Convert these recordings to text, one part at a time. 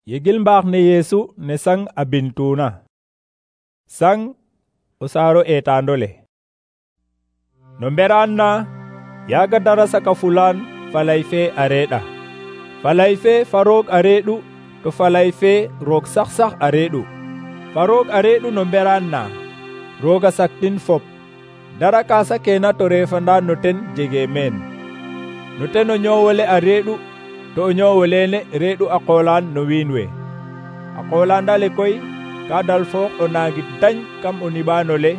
Yegil mbaax ne Yeesu ne sang a bintuna. Sang o saaro eetaandole. No mberaan na, yaaga dara saka fulaan falay fe a reeɗa. Falay fe fa roog a reeɗu, to falay fe roog sax a reeɗu. Fa roog a reeɗu no mberaan na, rooga saktin fop. Dara ka sakeena to reefanda no ten jegee meen. No ten o ñoowole a reeɗu, to o ñoowolene reeɗu a qoolaan no wiin we. A qoolaandale koy ka dal foox o naangit dañ kam o niɓaan ole,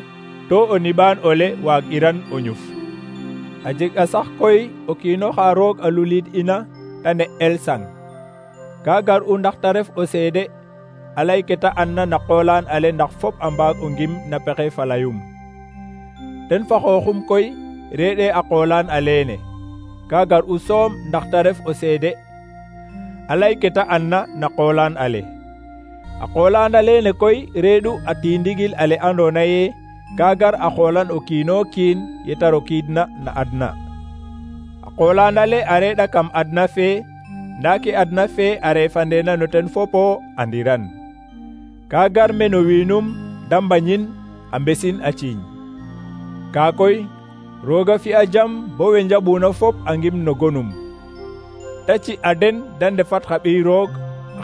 to o niɓaan ole waag'iran o ñuf. A jeg a sax koy o kiino xa roog a luliid ina ta ne'el sang. Ka gar'u ndax ta ref o seede a lay ke ta andna na qoolaan ale ndax fop a mbaag o ngim na pexey fa layum. Ten fa xooxum koy reeɗee a qoolaan aleene. Ka gar'u soom ndax ta ref o seede a lay ke ta andna na qoolaan ale. A qoolaan aleene koy reeɗu a tiindigil ale andoona yee ka gar a xoolan o kiino kiin ye ta rokiidna na adna. A qoolaan ale a reeɗa kam adna fee, ndaa ke adna fee a reefandeena no ten fopo andiran. Ka gar me no wiinum da mbañin a mbesin a ciiñ. Kaa koy rooga fi'a jam bo we njaɓuuna fop a ngim no gonum. Ta ci a den da ndefat xa ɓiy roog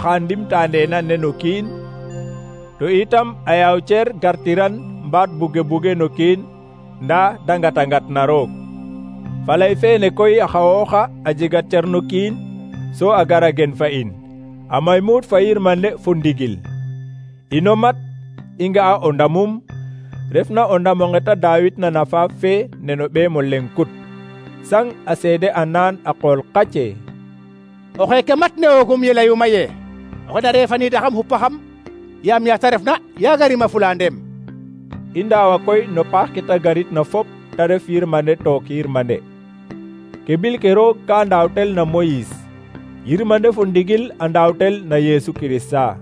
xa ndimtaandeena ne no kiin, to itam a yaaw cer gartiran mbaat buge no kiin, ndaa da ngat na roog. Falay feene koy a xawooxa a jega cer no kiin, so a gara gen fa in, a may muut fa yirmande fo ndigil. Ino mat i nga'a o ndamum, refna o ndam onge ta daawitna na faaf fe ne no ɓeem o leng kut. Sang a seede a naan a qool qace. O xeeke mat ne oogum ye layuma ye, oxe na reefaniidaxam xupaxam, yaam yaa ta refna yaaga rima fulandeem. I ndaawa koy no paax ke ta garit na fop ta ref yirmande took yirmande. Ke bil ke roog ka ndaawtel na Moyis, yirmande fo ndigil a ndaawtel na Yeesu Kirista.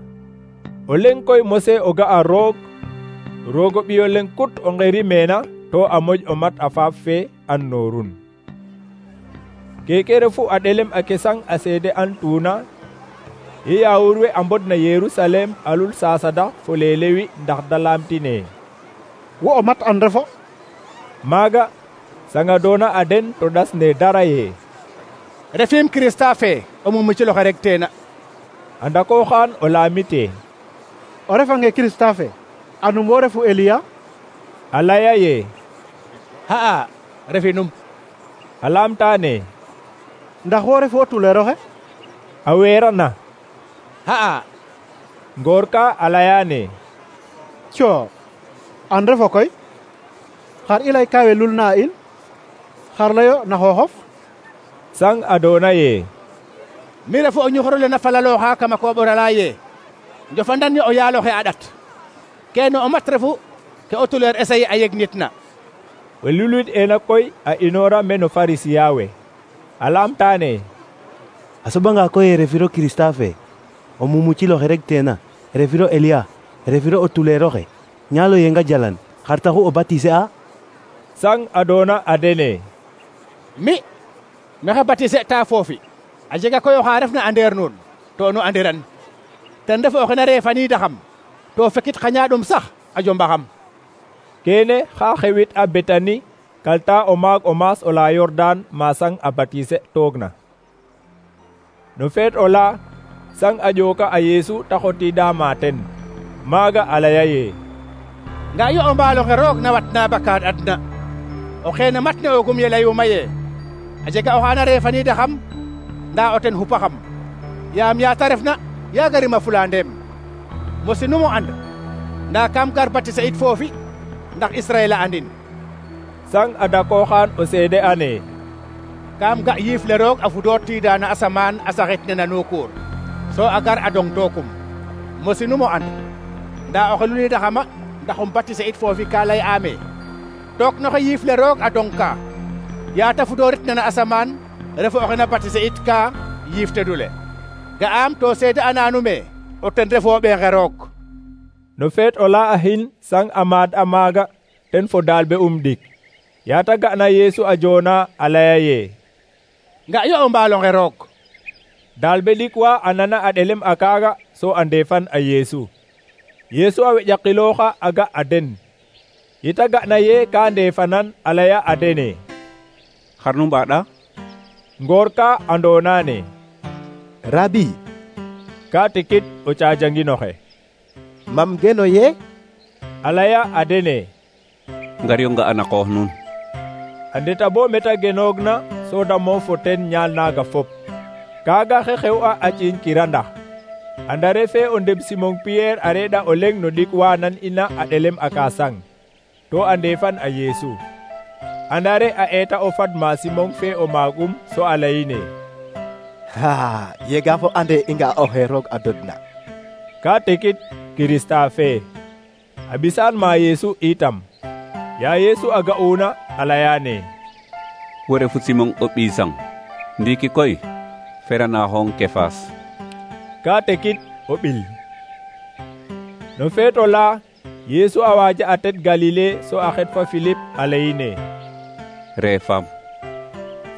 O leng koy mose o ga'a roog, roog o ɓiyo leng kut o ngeri meena to a moƴ o mat a faaf fe an noorun. Keke refu a ɗelem ake sang a seede an tuuna, ye yaawur we a mbodna Yerusalem a lul saasada fo leelewi ndax da laamtine. Wo o mat an refo? Maaga sanga doona a den to ɗasne dara ye. Refiim Kirista fe o mumuciloxe rek teena. A ndakooxaan o laamite. O refange Kirista fe, anum wo refu Eliya? A laya ye. Ha'a, refinum. A laamtaane. Ndax wo refu o tuleeroxe? A weerana. Ha'a. Ngoor ka a layaane. Coo, an refo koy? Xar i lay kawe lulna a in? Xar layo na xooxof? Sang a doona ye. Mi refu o ñuxurole na falalooxa kama kooɓorala ye, njofandan ye o yaaloxe a ɗat. Keene o mat refu ke o tuleer esaye a yegnitna. We lulit ena koy a inoora me no Farisiya we. A laamtaane. A soɓanga koy e refiro Kirista fe, o mumuciloxe rek teena, refiro Eliya, refiro o tuleeroxe, ñaalo yenga jalan, xar taxu o batise a? Sang a doona a dene. Mi, mexe batise ta foofi, a jega koy oxa refna andeer nuun, to nu andiran. Ten refu oxe na reefaniidaxam, to fekit xa ñaaɗum sax a jombaxam. Keene xa xewit a Betani, kalta o maag o maas o la Yordan ma sang a batise toogna. No feet o la, sang a ƴooka a Yeesu ta xotiida ma ten. Maaga a laya ye. Nga yo o mbaaloxe roog na watna bakaad adna. O xeene mat ne oogum ye layuma ye, a jega oxa na reefaniidaxam, ndaa o ten xupaxam. Yaam yaa ta refna yaaga rima fulandeem. Mosinum o and, ndaa kam gar batise it foofi, ndax Israel a andin. Sang a dakooxaan o seede ane. Kam ga yiif le roog a fudootiida na asamaan a saxit ne na nuukuur, so a gar a dong tookum. Mosinum o and, ndaa oxe luniidaxama ndax um batise it foofi ka lay aame. Took noxe yiif le roog a dong ka, yaa ta fudoorit ne na asamaan, refu oxe na batise it ka yiif tedule. Ga'aam to seede anaanume o ten refo ɓeexe roog. No feet o la a xin sang a maad a maaga ten fo daalbe ɗik. Yaa ta ga'na Yeesu a joona a laya ye. Nga yo o mbaalonge roog. Daalbe ɗik wa a nana a ɗelem a kaaga so a ndefan a Yeesu. Yeesu a weƴakilooxa a ga a den. Yita ga'na ye ka ndefanan a laya a dene: xar nu mbaɗa? Ngoor ka andoonane: Rabi, ka tikit o cajanginoxe. mam geno ye? A laya a dene: Ngar yo nga ana qoox nuun. A ndeta bo meta genoogna so da moof fo ten ñaal naaga fop. Kaaga xe xew'a a ciiñ kirandax. Andare fe o ndeb Simon Pierre a reɗ'a o leŋ no ɗik wa nan ina a ɗelem a kasang. To a ndefan a Yeesu. Andare a eeta o fad ma Simon fe o maagum so a layine: Yega fo ande i nga oxe roog a dodna. Ka tekit Kirista fe. A bisaan ma Yeesu itam. Ya Yeesu a ga'una a layane: Wo refu Simon o ɓii sang. Ndiiki koy feranaxong Kefas. Ka tekit o ɓil. No feeto la Yeesu a waaja a tet Galile so a xet fa Philippe a layine: Reefam.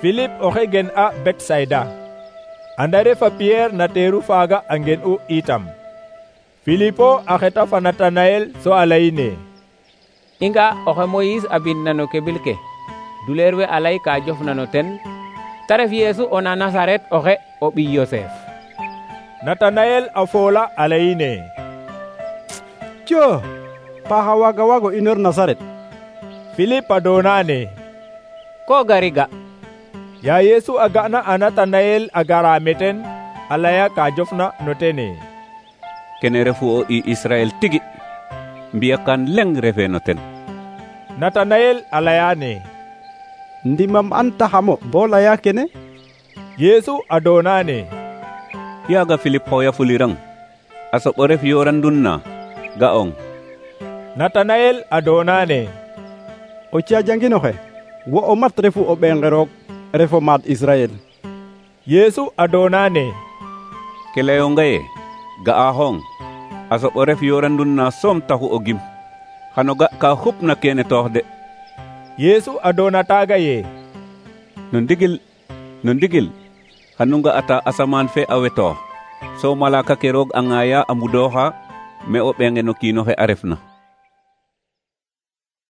Philippe oxe gen a Betsayda. Andare fa Pierre na teeru faaga a ngen'u itam. Philippe a xeta fa Natanayel so a layine: I nga oxe Moïse a bindna no kebil ke, duleer we a lay ka jofna no ten, ta ref Yeesu o na Nasaret oxe o ɓiy Yosef. Natanayel a foola a layine: Cio, paxa waaga waago inoor Nasaret. Philippe a doonane: Ko gari ga. Ya Yeesu a ga'na a Natanayel a gara meten, a laya ka jofna no tene: Kene refu o i Israel tigi. Mbiyakan leŋ refe no ten. Natanayel a layane: Ndimam an taxamo bo laya kene? Yeesu a doonane: Yaaga Philippe xooya fulirang. A soɓo ref yorandun na ga'ong. Natanayel a doonane: O cajanginoxe, wo o mat refu o ɓeenge roog, refo maad Israel. Yeesu a doonane: Ke layonga ye ga'axong. A soɓo ref yorandun na soom taxu o gim. Xano ga ka xupna kene toox de. Yeesu a doona taaga ye: No ndigil xanu nga'ata asamaan fe a wetoox, so malaka ke roog a ŋaaya a mbudooxa me o ɓeenge no kiin oxe a refna.